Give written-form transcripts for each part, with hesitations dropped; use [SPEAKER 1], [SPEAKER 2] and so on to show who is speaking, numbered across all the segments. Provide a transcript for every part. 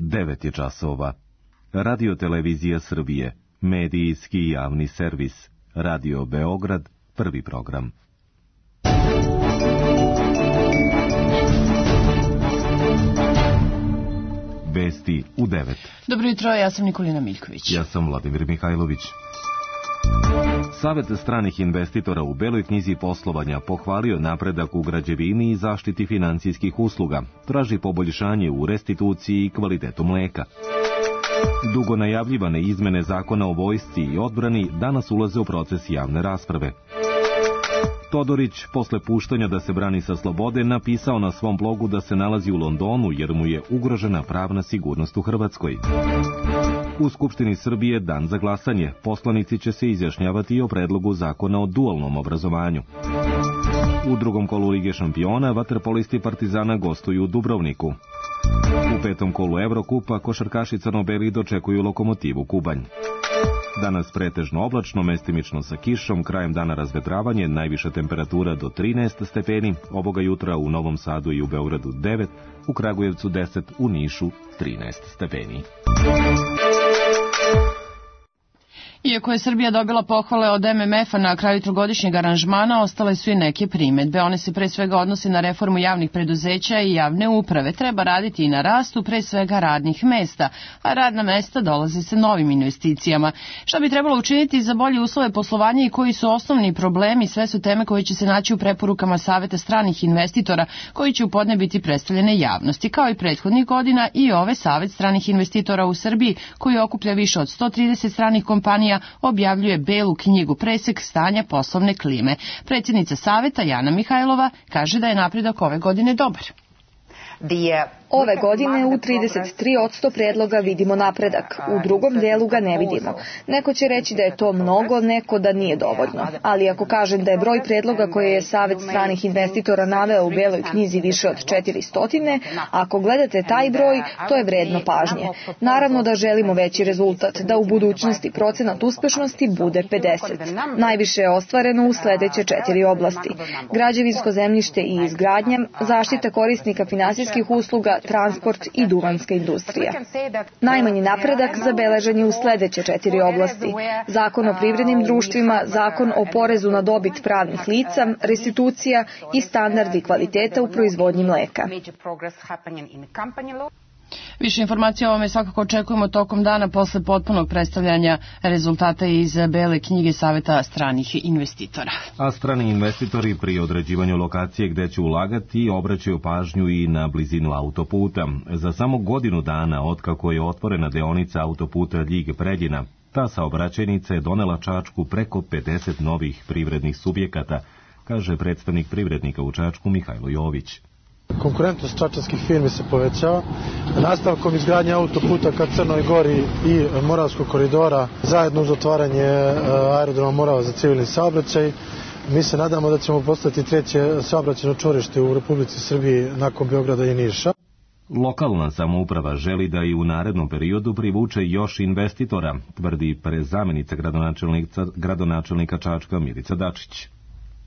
[SPEAKER 1] 9 je časova. Radio Televizija Srbije, medijski javni servis, Radio Beograd, prvi program. Vesti u 9.
[SPEAKER 2] Dobro jutro, ja sam Nikolina Miljković.
[SPEAKER 1] Ja sam Vladimir Mihajlović. Savet stranih investitora u Beloj knjizi poslovanja pohvalio napredak u građevini i zaštiti finansijskih usluga, traži poboljšanje u restituciji i kvalitetu mleka. Dugo najavljivane izmene zakona o vojsci i odbrani danas ulaze u proces javne rasprave. Todorić, posle puštanja da se brani sa slobode, napisao na svom blogu da se nalazi u Londonu jer mu je ugrožena pravna sigurnost u Hrvatskoj. U Skupštini Srbije dan za glasanje. Poslanici će se izjašnjavati i o predlogu zakona o dualnom obrazovanju. U drugom kolu Lige šampiona vaterpolisti Partizana gostuju u Dubrovniku. U petom kolu Evrokupa košarkaši crno-beli dočekuju Lokomotivu Kubanj. Danas pretežno oblačno, mestimično sa kišom, krajem dana razvetravanje, najviša temperatura do 13 stepeni, ovoga jutra u Novom Sadu i u Beogradu 9, u Kragujevcu 10, u Nišu 13 stepeni.
[SPEAKER 2] Iako je Srbija dobila pohvale od MMF-a na kraju trogodišnjeg aranžmana, ostale su i neke primedbe. One se pre svega odnose na reformu javnih preduzeća i javne uprave. Treba raditi i na rastu pre svega radnih mesta, a radna mesta dolaze sa novim investicijama. Šta bi trebalo učiniti za bolje uslove poslovanja i koji su osnovni problemi, sve su teme koje će se naći u preporukama Saveta stranih investitora, koji će u podne biti predstavljene javnosti. Kao i prethodnih godina, i ove Savet stranih investitora u Srbiji, koji okuplja više od 130 stranih kompanija, objavljuje belu knjigu presek stanja poslovne klime. Predsjednica Saveta Jana Mihajlova kaže da je napredak ove godine dobar.
[SPEAKER 3] Ove godine u 33% predloga vidimo napredak, u drugom delu ga ne vidimo. Neko će reći da je to mnogo, neko da nije dovoljno. Ali ako kažem da je broj predloga koje je Savet stranih investitora naveo u beloj knjizi više od 400, ako gledate taj broj, to je vredno pažnje. Naravno da želimo veći rezultat, da u budućnosti procenat uspešnosti bude 50. Najviše je ostvareno u sledeće 4 oblasti: građevinsko zemljište i izgradnja, zaštita korisnika finansijskih usluga, transport i duvanska industrija. Najmanji napredak zabeležen je u sledeće 4 oblasti: zakon o privrednim društvima, zakon o porezu na dobit pravnih lica, restitucija i standardi kvaliteta u proizvodnji mleka.
[SPEAKER 2] Više informacija o ovome svakako očekujemo tokom dana posle potpunog predstavljanja rezultata iz bele knjige Saveta stranih investitora.
[SPEAKER 1] A strani investitori pri određivanju lokacije gde će ulagati obraćaju pažnju i na blizinu autoputa. Za samo godinu dana otkako je otvorena deonica autoputa Ljig-Preljina, ta saobraćajnica je donela Čačku preko 50 novih privrednih subjekata, kaže predstavnik privrednika u Čačku Mihajlo Jović.
[SPEAKER 4] Konkurentnost čačanskih firmi se povećava. Nastavkom izgradnje autoputa ka Crnoj Gori i Moravskog koridora, zajedno uz otvaranje aerodroma Morava za civilni saobraćaj, mi se nadamo da ćemo postati treće saobraćajno čvorište u Republici Srbiji nakon Beograda i Niša.
[SPEAKER 1] Lokalna samouprava želi da i u narednom periodu privuče još investitora, tvrdi zamenica gradonačelnika Čačka Milica Dačić.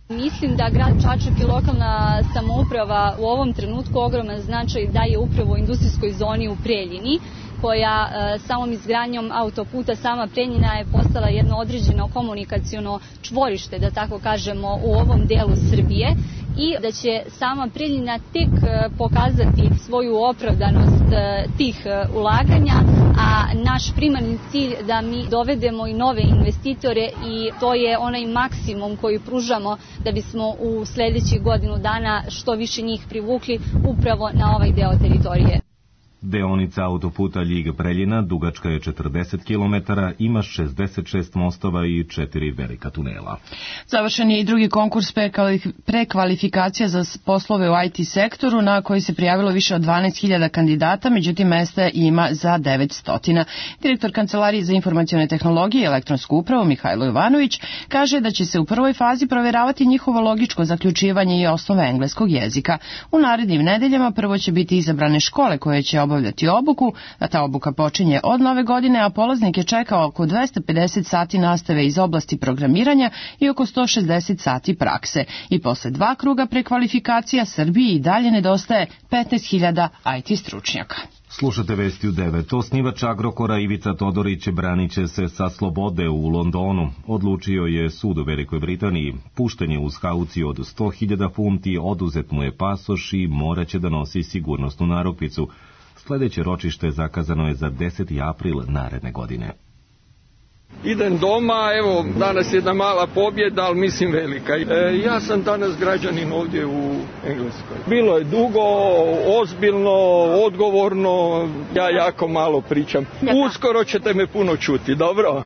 [SPEAKER 5] Mislim da grad Čačak i lokalna samouprava u ovom trenutku ogroman značaj daje upravo industrijskoj zoni u Preljini, koja samom izgradnjom autoputa sama Preljina je postala jedno određeno komunikaciono čvorište, da tako kažemo, u ovom delu Srbije, i da će sama Preljina tek pokazati svoju opravdanost tih ulaganja, a naš primarni cilj da mi dovedemo i nove investitore, i to je onaj maksimum koji pružamo da bismo u sledećih godinu dana što više njih privukli upravo na ovaj deo teritorije.
[SPEAKER 1] Deonica autoputa Ljig-Preljina dugačka je 40 km, ima 66 mostova i 4 velika tunela.
[SPEAKER 2] Završen je i drugi konkurs prekvalifikacija za poslove u IT sektoru, na koji se prijavilo više od 12.000 kandidata, međutim mesta ima za 900. Direktor Kancelarije za informacione tehnologije i elektronsku upravu Mihajlo Jovanović kaže da će se u prvoj fazi proveravati njihovo logičko zaključivanje i osnove engleskog jezika. U narednim nedeljama prvo će biti izabrane škole koje će obavljati obuku, a ta obuka počinje od nove godine, a polaznike čeka oko 250 sati nastave iz oblasti programiranja i oko 160 sati prakse. I posle 2 kruga prekvalifikacija Srbiji i dalje nedostaje 15.000 IT stručnjaka.
[SPEAKER 1] Slušate vesti u 9. Osnivač Agrokora Ivica Todorić branit će se sa slobode u Londonu. Odlučio je sud u Velikoj Britaniji. Pušten je uz kauciju od 100.000 funti, oduzet mu je pasoš i moraće da nosi sigurnosnu narukvicu. Sljedeće ročište zakazano je za 10. april naredne godine.
[SPEAKER 6] Idem doma, evo, danas je jedna mala pobjeda, ali mislim velika. Ja sam danas građanin ovdje u Engleskoj. Bilo je dugo, ozbiljno, odgovorno, ja jako malo pričam. Uskoro ćete me puno čuti, dobro?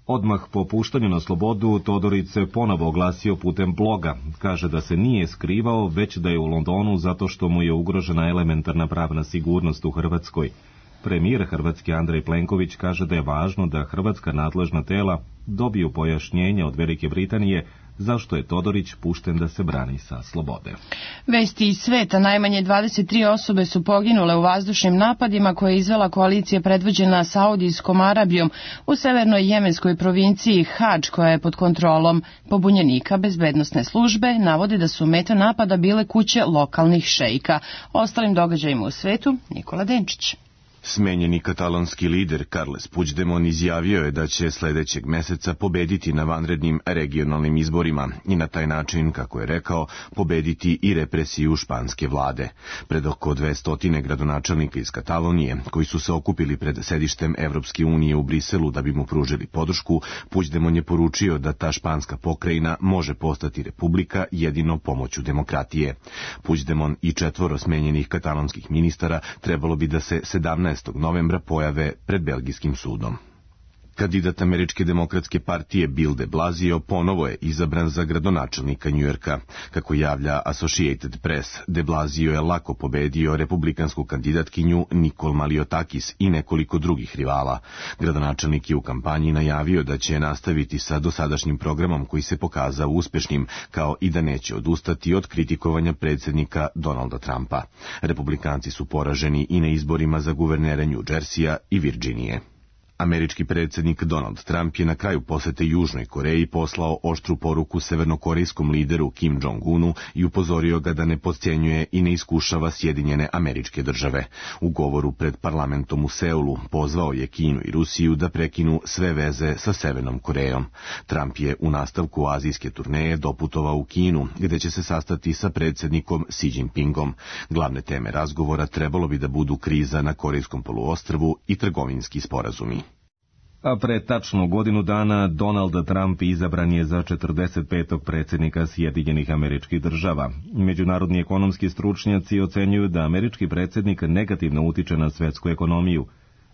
[SPEAKER 1] Odmah po puštanju na slobodu, Todorić se ponovo oglasio putem bloga. Kaže da se nije skrivao, već da je u Londonu zato što mu je ugrožena elementarna pravna sigurnost u Hrvatskoj. Premijer Hrvatske Andrej Plenković kaže da je važno da hrvatska nadležna tela dobiju pojašnjenje od Velike Britanije zašto je Todorić pušten da se brani sa slobode.
[SPEAKER 2] Vesti iz sveta, najmanje 23 osobe su poginule u vazdušnim napadima koje je izvela koalicija predvođena Saudijskom Arabijom u severnoj jemenskoj provinciji Hadž, koja je pod kontrolom pobunjenika. Bezbednosne službe navode da su meta napada bile kuće lokalnih šeika. O ostalim događajima u svetu, Nikola Denčić.
[SPEAKER 7] Smenjeni katalonski lider Carles Puigdemont izjavio je da će sljedećeg meseca pobediti na vanrednim regionalnim izborima i na taj način, kako je rekao, pobediti i represiju španske vlade. Pred oko 200 gradonačelnika iz Katalonije, koji su se okupili pred sedištem Evropske unije u Briselu da bi mu pružili podršku, Puigdemont je poručio da ta španska pokrajina može postati republika jedino pomoću demokratije. Puigdemont i 4 smenjenih katalonskih ministara trebalo bi da se 17. novembra pojave pred belgijskim sudom. Kandidat Američke demokratske partije Bill de Blasio ponovo je izabran za gradonačelnika Njujorka. Kako javlja Associated Press, de Blasio je lako pobedio republikansku kandidatkinju Nicole Maliotakis i nekoliko drugih rivala. Gradonačelnik je u kampanji najavio da će nastaviti sa dosadašnjim programom koji se pokazao uspešnim, kao i da neće odustati od kritikovanja predsjednika Donalda Trumpa. Republikanci su poraženi i na izborima za guvernera New Jersey-a i Virginije. Američki predsjednik Donald Trump je na kraju posete Južnoj Koreji poslao oštru poruku severnokorejskom lideru Kim Jong-unu i upozorio ga da ne podcjenjuje i ne iskušava Sjedinjene Američke Države. U govoru pred parlamentom u Seulu pozvao je Kinu i Rusiju da prekinu sve veze sa Severnom Korejom. Trump je u nastavku azijske turneje doputovao u Kinu, gde će se sastati sa predsjednikom Xi Jinpingom. Glavne teme razgovora trebalo bi da budu kriza na Korejskom poluostrvu i trgovinski sporazumi.
[SPEAKER 1] A pre tačno godinu dana Donald Trump izabran je za 45. predsjednika Sjedinjenih Američkih Država. Međunarodni ekonomski stručnjaci ocenjuju da američki predsjednik negativno utiče na svetsku ekonomiju.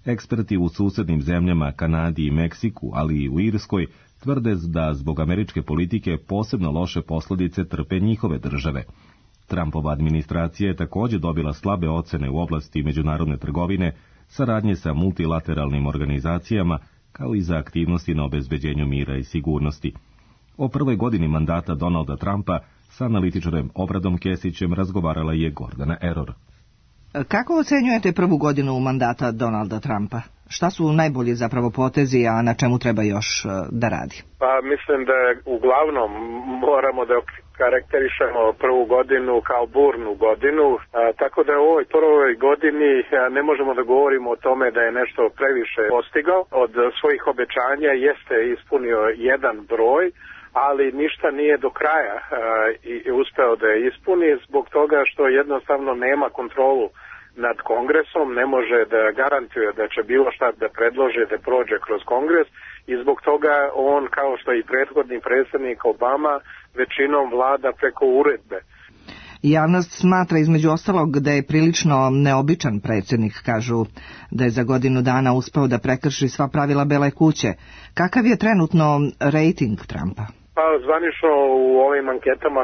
[SPEAKER 1] Eksperti u susednim zemljama, Kanadi i Meksiku, ali i u Irskoj, tvrde da zbog američke politike posebno loše posljedice trpe njihove države. Trumpova administracija je također dobila slabe ocene u oblasti međunarodne trgovine, saradnje sa multilateralnim organizacijama, kao i za aktivnosti na obezbeđenju mira i sigurnosti. O prvoj godini mandata Donalda Trumpa sa analitičarem Obradom Kesićem razgovarala je Gordana Error.
[SPEAKER 8] Kako ocenjujete prvu godinu mandata Donalda Trumpa? Šta su najbolji zapravo potezi, a na čemu treba još da radi?
[SPEAKER 9] Pa mislim da uglavnom moramo da karakterišemo prvu godinu kao burnu godinu, tako da u ovoj prvoj godini ne možemo da govorimo o tome da je nešto previše postigao. Od svojih obećanja jeste ispunio jedan broj, ali ništa nije do kraja i uspeo da je ispuni zbog toga što jednostavno nema kontrolu nad Kongresom, ne može da garantuje da će bilo šta da predloži da prođe kroz Kongres i zbog toga on, kao što i prethodni predsjednik Obama, većinom vlada preko uredbe.
[SPEAKER 8] Javnost smatra između ostalog da je prilično neobičan predsjednik, kažu da je za godinu dana uspeo da prekrši sva pravila Bele kuće. Kakav je trenutno rejting Trumpa?
[SPEAKER 9] Pa zvanično u ovim anketama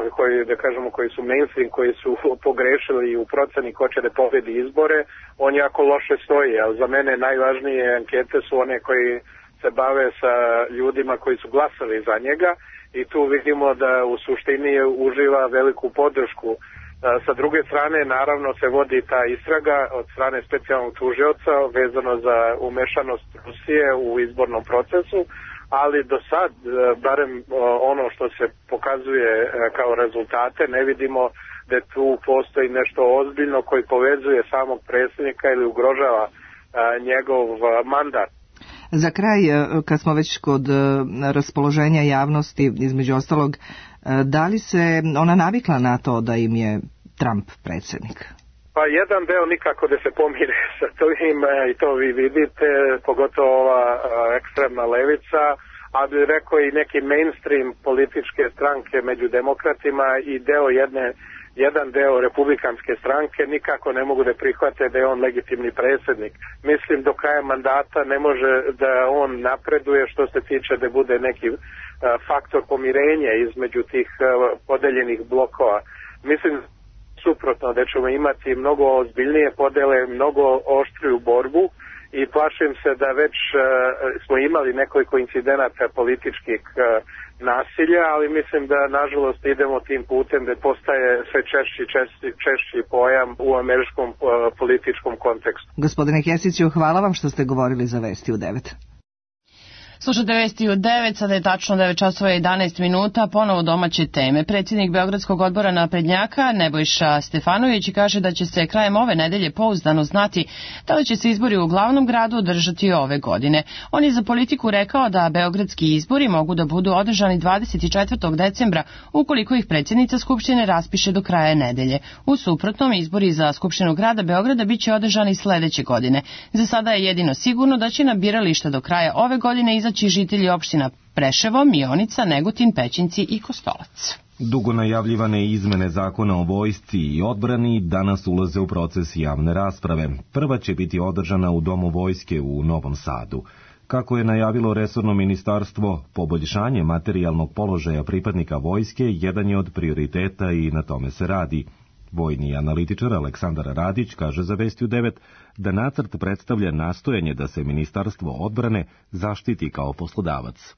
[SPEAKER 9] koji su mainstream, koji su pogrešili u proceni ko će da pobedi izbore, on jako loše stoji, ali za mene najvažnije ankete su one koji se bave sa ljudima koji su glasali za njega i tu vidimo da u suštini uživa veliku podršku. Sa druge strane, naravno, se vodi ta istraga od strane specijalnog tužioca vezano za umešanost Rusije u izbornom procesu, ali do sad, barem ono što se pokazuje kao rezultate, ne vidimo da tu postoji nešto ozbiljno koji povezuje samog predsjednika ili ugrožava njegov mandat.
[SPEAKER 8] Za kraj, kad smo već kod raspoloženja javnosti, između ostalog, da li se ona navikla na to da im je Trump predsjednik?
[SPEAKER 9] Pa jedan deo nikako da se pomire sa tim i to vi vidite, pogotovo ova ekstremna levica, a bi rekao i neki mainstream političke stranke među demokratima i jedan deo republikanske stranke nikako ne mogu da prihvate da je on legitimni predsjednik. Mislim do kraja mandata ne može da on napreduje što se tiče da bude neki faktor pomirenja između tih podeljenih blokova. Mislim suprotno da ćemo imati mnogo ozbiljnije podele, mnogo oštriju borbu i plašim se da već smo imali nekoliko incidenata političkih nasilja, ali mislim da nažalost idemo tim putem da postaje sve češći pojam u američkom političkom kontekstu.
[SPEAKER 8] Gospodine Kesiću, hvala vam što ste govorili za Vesti u 9.
[SPEAKER 2] Slušajte Vesti u 9, sada je tačno 9 časova i 11 minuta, ponovo domaće teme. Predsjednik Beogradskog odbora naprednjaka Nebojša Stefanović kaže da će se krajem ove nedelje pouzdano znati da li će se izbori u glavnom gradu održati ove godine. On je za Politiku rekao da beogradski izbori mogu da budu održani 24. decembra ukoliko ih predsjednica Skupštine raspiše do kraja nedelje. U suprotnom, izbori za Skupštinu grada Beograda biće održani sledeće godine. Za sada je jedino sigurno da će na birališta do kraja ove godine izaći žitelji opština Preševo, Mionica, Negotin, Pećinci i Kostolac.
[SPEAKER 1] Dugo najavljivane izmene zakona o vojsci i odbrani danas ulaze u proces javne rasprave. Prva će biti održana u Domu vojske u Novom Sadu. Kako je najavilo resorno ministarstvo, poboljšanje materijalnog položaja pripadnika vojske jedan je od prioriteta i na tome se radi. Vojni analitičar Aleksandar Radić kaže za Vesti u 9 da nacrt predstavlja nastojanje da se Ministarstvo odbrane zaštiti kao poslodavac.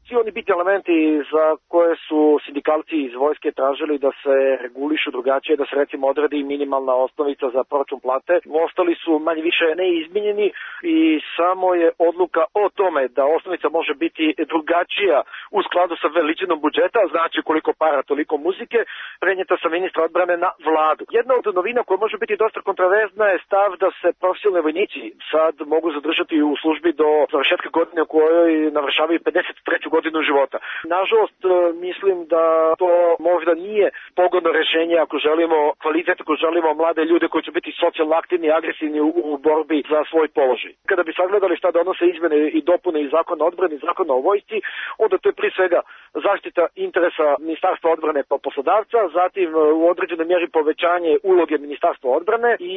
[SPEAKER 10] Svi oni biti elementi za koje su sindikalci iz vojske tražili da se regulišu drugačije, da se recimo odredi minimalna osnovica za proračun plate, ostali su manje više neizmijenjeni i samo je odluka o tome da osnovica može biti drugačija u skladu sa veličinom budžeta, znači koliko para, toliko muzike, prenijeta sa ministra odbrane na vladu. Jedna od novina koja može biti dosta kontroverzna je stav da se profesionalni vojnici sad mogu zadržati u službi do završetka godine u kojoj navršavaju 53. godinu života. Nažalost, mislim da to možda nije pogodno rješenje ako želimo kvalitet, ako želimo mlade ljude koji će biti socijalno aktivni i agresivni u borbi za svoj položaj. Kada bi sagledali šta donose izmene i dopune iz zakona o odbrani i zakona o vojsci, onda to je prije svega zaštita interesa Ministarstva odbrane kao poslodavca, zatim u određenoj mjeri povećanje uloge Ministarstva odbrane i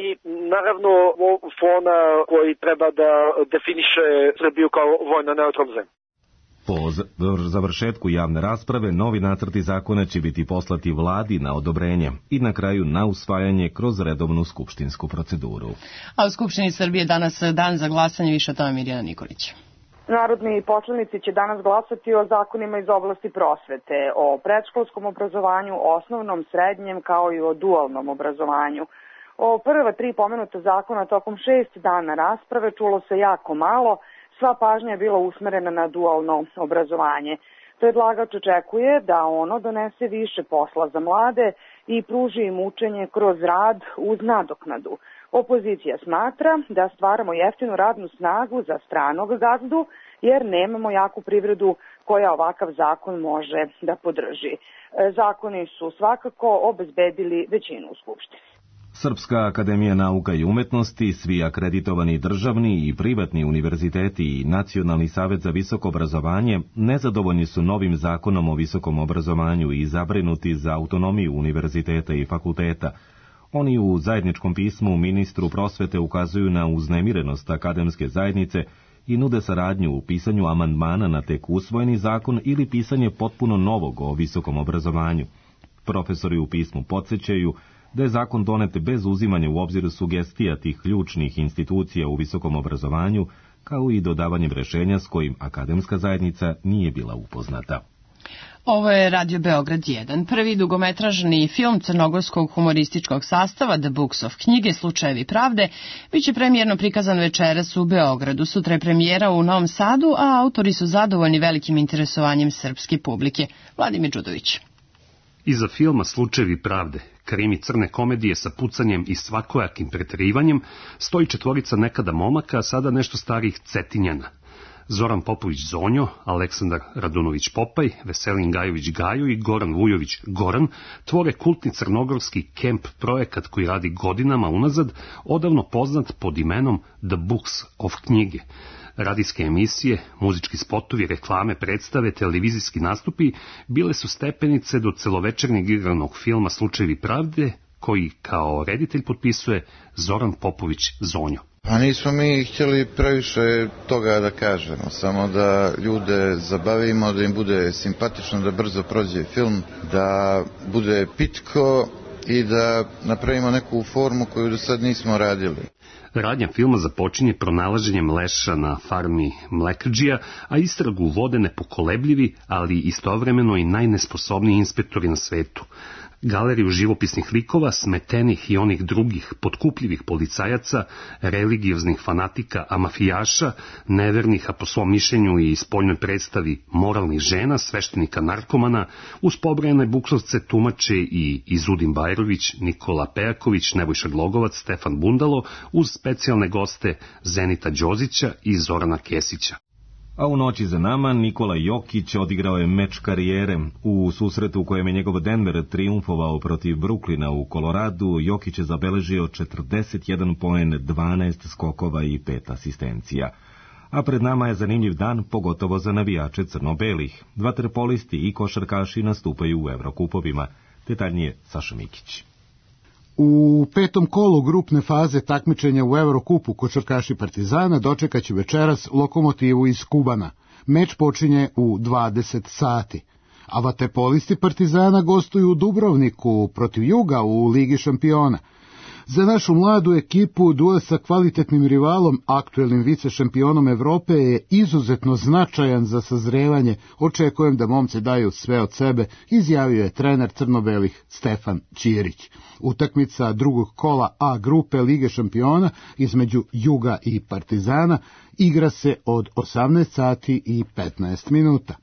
[SPEAKER 10] naravno fona koji treba da definiše Srbiju kao vojno neutralnu zemlju.
[SPEAKER 1] Po završetku javne rasprave, novi nacrti zakona će biti poslati vladi na odobrenje i na kraju na usvajanje kroz redovnu skupštinsku proceduru.
[SPEAKER 2] A u Skupštini Srbije danas dan za glasanje, više o tome Mirjana Nikolić.
[SPEAKER 11] Narodni poslanici će danas glasati o zakonima iz oblasti prosvete, o predškolskom obrazovanju, osnovnom, srednjem, kao i o dualnom obrazovanju. O prva 3 pomenuta zakona tokom 6 dana rasprave čulo se jako malo. Sva pažnja je bila usmerena na dualno obrazovanje. Predlagač očekuje da ono donese više posla za mlade i pruži im učenje kroz rad uz nadoknadu. Opozicija smatra da stvaramo jeftinu radnu snagu za stranog gazdu jer nemamo jaku privredu koja ovakav zakon može da podrži. Zakoni su svakako obezbedili većinu u Skupštini.
[SPEAKER 1] Srpska akademija nauka i umetnosti, svi akreditovani državni i privatni univerziteti i Nacionalni savet za visoko obrazovanje nezadovoljni su novim zakonom o visokom obrazovanju i zabrinuti za autonomiju univerziteta i fakulteta. Oni u zajedničkom pismu ministru prosvete ukazuju na uznemirenost akademske zajednice i nude saradnju u pisanju amandmana na tek usvojeni zakon ili pisanje potpuno novog o visokom obrazovanju. Profesori u pismu podsjećaju da je zakon donet bez uzimanja u obzir sugestija tih ključnih institucija u visokom obrazovanju, kao i dodavanjem rešenja s kojim akademska zajednica nije bila upoznata.
[SPEAKER 2] Ovo je Radio Beograd 1. Prvi dugometražni film crnogorskog humorističkog sastava The Books of knjige Slučajevi pravde biće premijerno prikazan večeras u Beogradu. Sutra je premijera u Novom Sadu, a autori su zadovoljni velikim interesovanjem srpske publike. Vladimir Đudović.
[SPEAKER 12] Iza filma Slučajevi pravde krimi crne komedije sa pucanjem i svakojakim preterivanjem, stoji četvorica nekada momaka, a sada nešto starih Cetinjana. Zoran Popović Zonjo, Aleksandar Radunović Popaj, Veselin Gajović Gajo i Goran Vujović Goran tvore kultni crnogorski kemp projekat koji radi godinama unazad, odavno poznat pod imenom The Books of knjige. Radijske emisije, muzički spotovi, reklame, predstave, televizijski nastupi bile su stepenice do celovečernjeg igranog filma Slučajevi pravde, koji kao reditelj potpisuje Zoran Popović Zonjo.
[SPEAKER 13] Pa nismo mi htjeli previše toga da kažemo, samo da ljude zabavimo, da im bude simpatično, da brzo prođe film, da bude pitko i da napravimo neku formu koju do sad nismo radili.
[SPEAKER 12] Radnja filma započinje pronalaženjem leša na farmi mlekrdžija, a istragu vode nepokolebljivi, ali istovremeno i najnesposobniji inspektori na svetu. Galeriju živopisnih likova, smetenih i onih drugih potkupljivih policajaca, religioznih fanatika, a mafijaša, nevernih, a po svom mišljenju i spoljnoj predstavi moralnih žena, sveštenika narkomana, uz pobrojane buklovce tumače i Izudin Bajrović, Nikola Pejaković, Nebojša Glogovac, Stefan Bundalo, uz specijalne goste Zenita Đozića i Zorana Kesića.
[SPEAKER 1] A u noći za nama Nikola Jokić odigrao je meč karijere. U susretu u kojem je njegov Denver triumfovao protiv Brooklyna u Koloradu, Jokić je zabeležio 41 poen, 12 skokova i 5 asistencija. A pred nama je zanimljiv dan, pogotovo za navijače crno-belih. Vaterpolisti i košarkaši nastupaju u Evrokupovima. Detaljnije Saša Mikić.
[SPEAKER 14] U petom kolu grupne faze takmičenja u Evrokupu košarkaši Partizana dočekaće večeras Lokomotivu iz Kubana. Meč počinje u 20 sati. A vaterpolisti Partizana gostuju u Dubrovniku protiv Juga u Ligi šampiona. Za našu mladu ekipu duel sa kvalitetnim rivalom, aktuelnim vicešampionom Evrope, je izuzetno značajan za sazrevanje. Očekujem da momci daju sve od sebe, izjavio je trener crno-belih Stefan Ćirić. Utakmica drugog kola A grupe Lige šampiona između Juga i Partizana igra se od 18 sati i 15 minuta.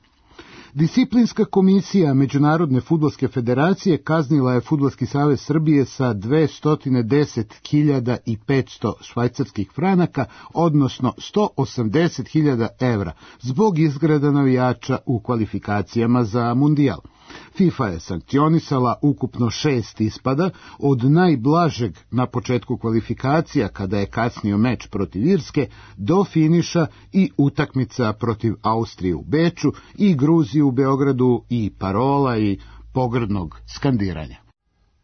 [SPEAKER 14] Disciplinska komisija Međunarodne fudbalske federacije kaznila je Fudbalski savez Srbije sa 210.500 švajcarskih franaka, odnosno 180.000 evra, zbog izgreda navijača u kvalifikacijama za Mundijal. FIFA je sankcionisala ukupno 6 ispada, od najblažeg na početku kvalifikacija kada je kasnio meč protiv Irske, do finiša i utakmica protiv Austrije u Beču i Gruzije u Beogradu i parola i pogrdnog skandiranja.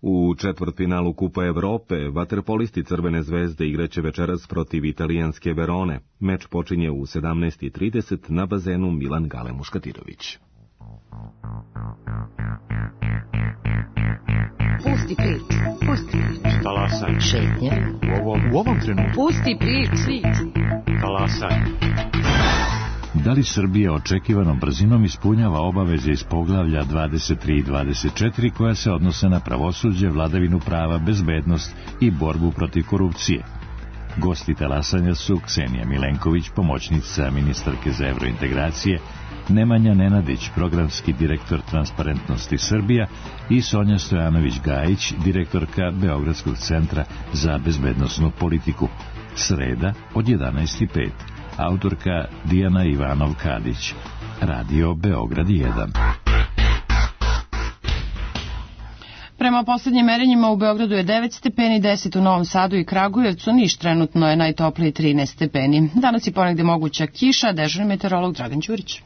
[SPEAKER 1] U četvrtfinalu Kupa Evrope vaterpolisti Crvene zvezde igraće večeras protiv italijanske Verone. Meč počinje u 17:30 na bazenu Milan Gale Muškatirović.
[SPEAKER 15] Pusti priču, pusti priču.
[SPEAKER 16] Talasaj.
[SPEAKER 15] Šetnje.
[SPEAKER 16] U ovom trenutku.
[SPEAKER 15] Pusti priču.
[SPEAKER 16] Talasaj.
[SPEAKER 17] Da li Srbija očekivanom brzinom ispunjava obaveze iz poglavlja 23 i 24 koja se odnose na pravosuđe, vladavinu prava, bezbednost i borbu protiv korupcije? Gosti talasanja su Ksenija Milenković, pomoćnica ministarke za evrointegracije, Nemanja Nenadić, programski direktor Transparentnosti Srbija i Sonja Stojanović-Gajić, direktorka Beogradskog centra za bezbednosnu politiku. Sreda od 11:05. Autorka Dijana Ivanov-Kadić. Radio Beograd 1.
[SPEAKER 2] Prema posljednjim merenjima u Beogradu je 9 stepeni, 10 u Novom Sadu i Kragujevcu, Niš trenutno je najtopliji 13 stepeni. Danas je ponegde moguća kiša, dežurni meteorolog Dragan Đurić.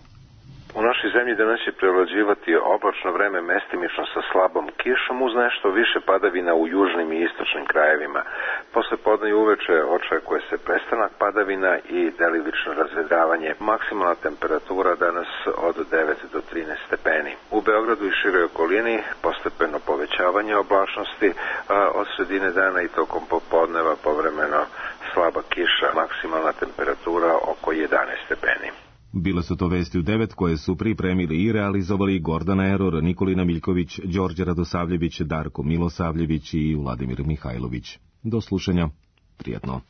[SPEAKER 18] U našoj zemlji danas će prevlađivati oblačno vreme mestimično sa slabom kišom uz nešto više padavina u južnim i istočnim krajevima. Posle podne i uveče očekuje se prestanak padavina i delimično razvedravanje. Maksimalna temperatura danas od 9 do 13 stepeni. U Beogradu i široj okolini postepeno povećavanje oblačnosti, a od sredine dana i tokom popodneva povremeno slaba kiša, maksimalna temperatura oko 11 stepeni.
[SPEAKER 1] Bile su to vesti u 9 koje su pripremili i realizovali Gordana Eror, Nikolina Miljković, Đorđe Radosavljević, Darko Milosavljević i Vladimir Mihajlović. Do slušanja. Prijatno.